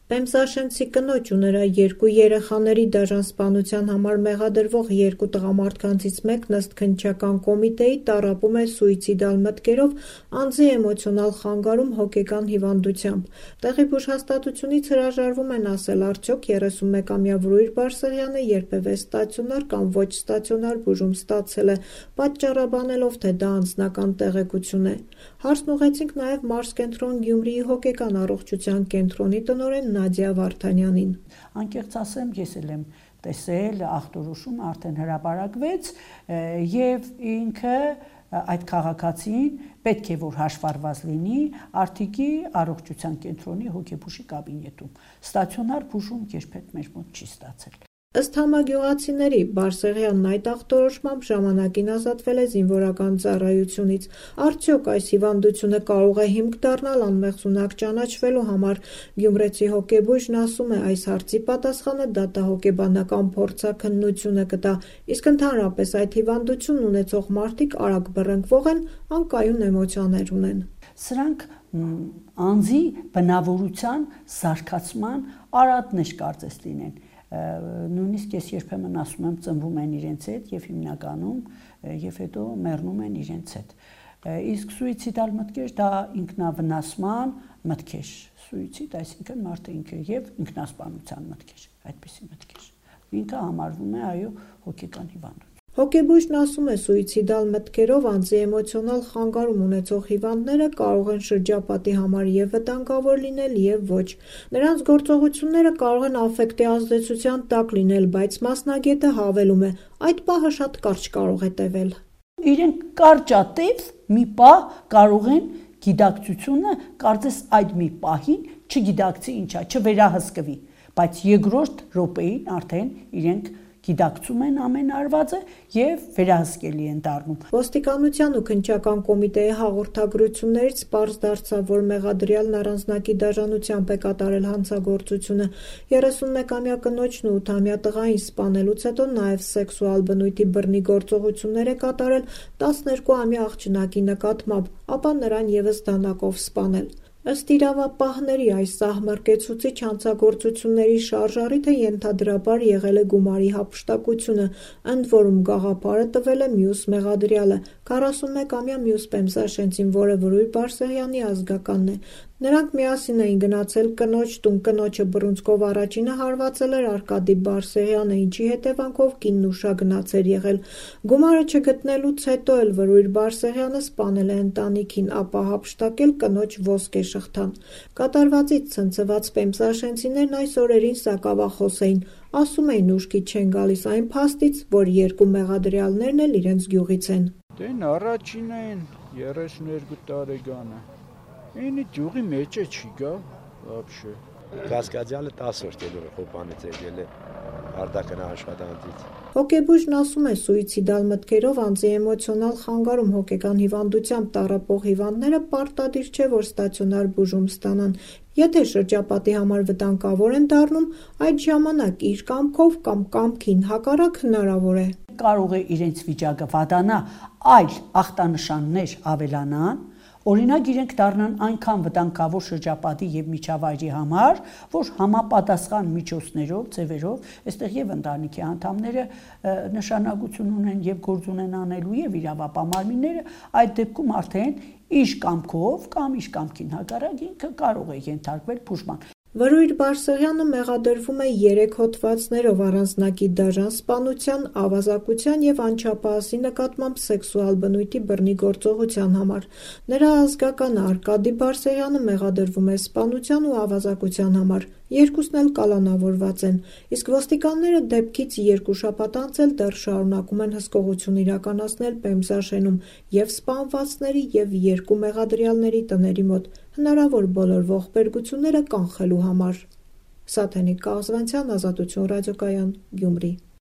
Պեմզաշենցի կնոջ ու նրա երկու երեխաների դաժան սպանության համար մեղադրվող երկու տղամարդկանցից մեկն ըստ քննչական կոմիտեի տառապում է սուիցիդալ մտքերով անձի էմոցիոնալ խանգարում հոգեկան հիվանդությամբ։ Տեղի բուժհաստատությունից հրաժարվում են ասել արդյոք 31-ամյա Վրույր Բարսեղյանը երբևէ ստացիոնար կամ ոչ ստացիոնար բուժում ստացել է, պատճառաբանելով, թե դա անձնական տեղեկություն է։ Հարցն ուղղեցինք նաև Մարզկենտրոն Գյումրիի հոգեկան առողջության կենտրոնի տնօրեն Նադիա Վարդանյանին։ Անկեղծ ասեմ, ես էլ եմ տեսել ախտորոշումը արդեն հրապարակվեց եւ ինքը այդ քաղաքացին պետք է որ հաշվառված լինի Արթիկի առողջության կենտրոնի հոգեբուժի կաբինետում։ Ստացիոնար բուժում երբեք մեր մոտ չի ստացել։ Ըստ համագյուղացիների, Բարսեղյանն այդ ախտորոշմամբ ժամանակին ազատվել է զինվորական ծառայությունից։ Արդյոք այս հիվանդությունը կարող է հիմք դառնալ անմեղսունակ ճանաչվելու համար։ Գյումրեցի հոգեբույժն ասում է, այս հարցի պատասխանը դատահոգեբանական փորձաքննությունը կտա, իսկ ընդհանրապես այդ հիվանդությունն ունեցող մարդիկ արագ բռնկվող են, անկայուն էմոցիաներ ունեն։ Սրանք անձի բնավորության զարգացման արատներ կարծես լինեն։ Նույնիսկ ես երբեմն ասում եմ ծնվում են իրենց հետ եւ հիմնականում եւ հետո մեռնում են իրենց հետ։ Իսկ սուիցիդալ մտքեր դա ինքնավնասման մտքեր։ Սուիցիդ, այսինքն մարդը ինքը եւ ինքնասպանության մտքեր, այդպիսի մտքեր։ Ինքը համարվում է այո հոգեկան հիվանդություն։ Հոգեբույժն ասում է, սուիցիդալ մտքերով անձի էմոցիոնալ խանգարում ունեցող հիվանդները կարող են շրջապատի համար եւ վտանգավոր լինել եւ ոչ։ Նրանց գործողությունները կարող են աֆեկտի ազդեցության տակ լինել, բայց մասնագետը հավելում է, այդ պահը շատ կարճ կարող է տևել։ Իրենք կարճատև մի պահ կարող են գիտակցությունը կարծես այդ մի պահին չգիտակցի ինչա, չվերահսկվի, բայց երկրորդ րոպեին արդեն իրենք գիտակցում են ամեն արվածը եւ վերահսկելի են դառնում։ Ոստիկանության ու քննչական կոմիտեի հաղորդագրություններից պարզ դարձավ, որ մեղադրյալն առանձնակի դաժանությամբ է կատարել հանցագործությունը։ 31-ամյա կնոջն ու 8-ամյա տղային սպանելուց հետո նաև սեքսուալ բնույթի բռնի գործողություններ է կատարել 12-ամյա աղջնակի նկատմամբ, ապա նրան ևս դանակով սպանել։ Ըստ իրավապահների, այս սահմռկեցուցիչ հանցագործությունների շարժառիթը ենթադրաբար եղել է գումարի հափշտակությունը, ընդ որում գաղափարը տվել է մյուս մեղադրյալը, 41-ամյա մյուս պեմզաշենցին, որը Վրույր Բարսեղյանի ազգականն է։ Նրանք միասին էին գնացել կնոջ տուն, կնոջը բռունցքով առաջինը հարվածել էր Արկադի Բարսեղյանը, ինչի հետևանքով կինն ուշագնաց էր եղել։ Գումարը չգտնելուց հետո էլ Վրույր Բարսեղյանը սպանել է ընտանիքին, ապա հափշտակել կնոջ ոսկե շղթան։ Կատարվածից ցնցված պեմզաշենցիներն այս օրերին սակավախոս էին, ասում էին ուշքի չեն գալիս այն փաստից, որ երկու մեղադրյալներն էլ իրենց գյուղից են։ Դեն առաջինը են 32 տարեկանը։ Ինի գյուղի մեջ է չի գա, вообще։ Կասկադյանը 10 օր դելը խոպանից եկել է արդակն աշխատանքից։ Հոգեբույժն ասում է, սուիցիդալ մտքերով անձի էմոցիոնալ խանգարում հոգեկան հիվանդությամբ տառապող հիվանդները պարտադիր չէ, որ ստացիոնար բուժում ստանան։ Եթե շրջապատի համար վտանգավոր են դառնում, այդ ժամանակ իր կամքով կամ կամքին հակառակ հնարավոր է։ Կարող է իրենց վիճակը վատանա, այլ ախտանշաններ ավելանան, օրինակ իրենք դառնան այնքան վտանգավոր շրջապատի եւ միջավայրի համար, որ համապատասխան միջոցներով, ձևերով, այստեղ եւ ընտանիքի անդամները նշանակություն ունեն եւ գործ ունեն անելու եւ իրավապահ մարմինները, այդ դեպքում արդեն իր կամքով կամ իր կամքին հակառակ ինքը կարող է ենթարկվել բուժման։ Վրույր Բարսեղյանը մեղադրվում է 3 հոդվածներով առանձնակի դաժան սպանության, ավազակության եւ անչափահասի նկատմամբ սեքսուալ բնույթի բռնի գործողության համար։ Նրա ազգականը Արկադի Բարսեղյանը մեղադրվում է սպանության ու ավազակության համար։ Երկուսն էլ կալանավորված են, իսկ ոստիկանները դեպքից 2 շաբաթ անց էլ դեռ շարունակում են հսկողություն իրականացնել Պեմզաշենում եւ սպանվածների եւ 2 մեղադրյալների տների մոտ, հնարավոր բոլոր ողբերգությունները կանխելու համար։ Սաթենիկ Կազվանցյան, Ազատություն ռադիոկայան, Գյումրի։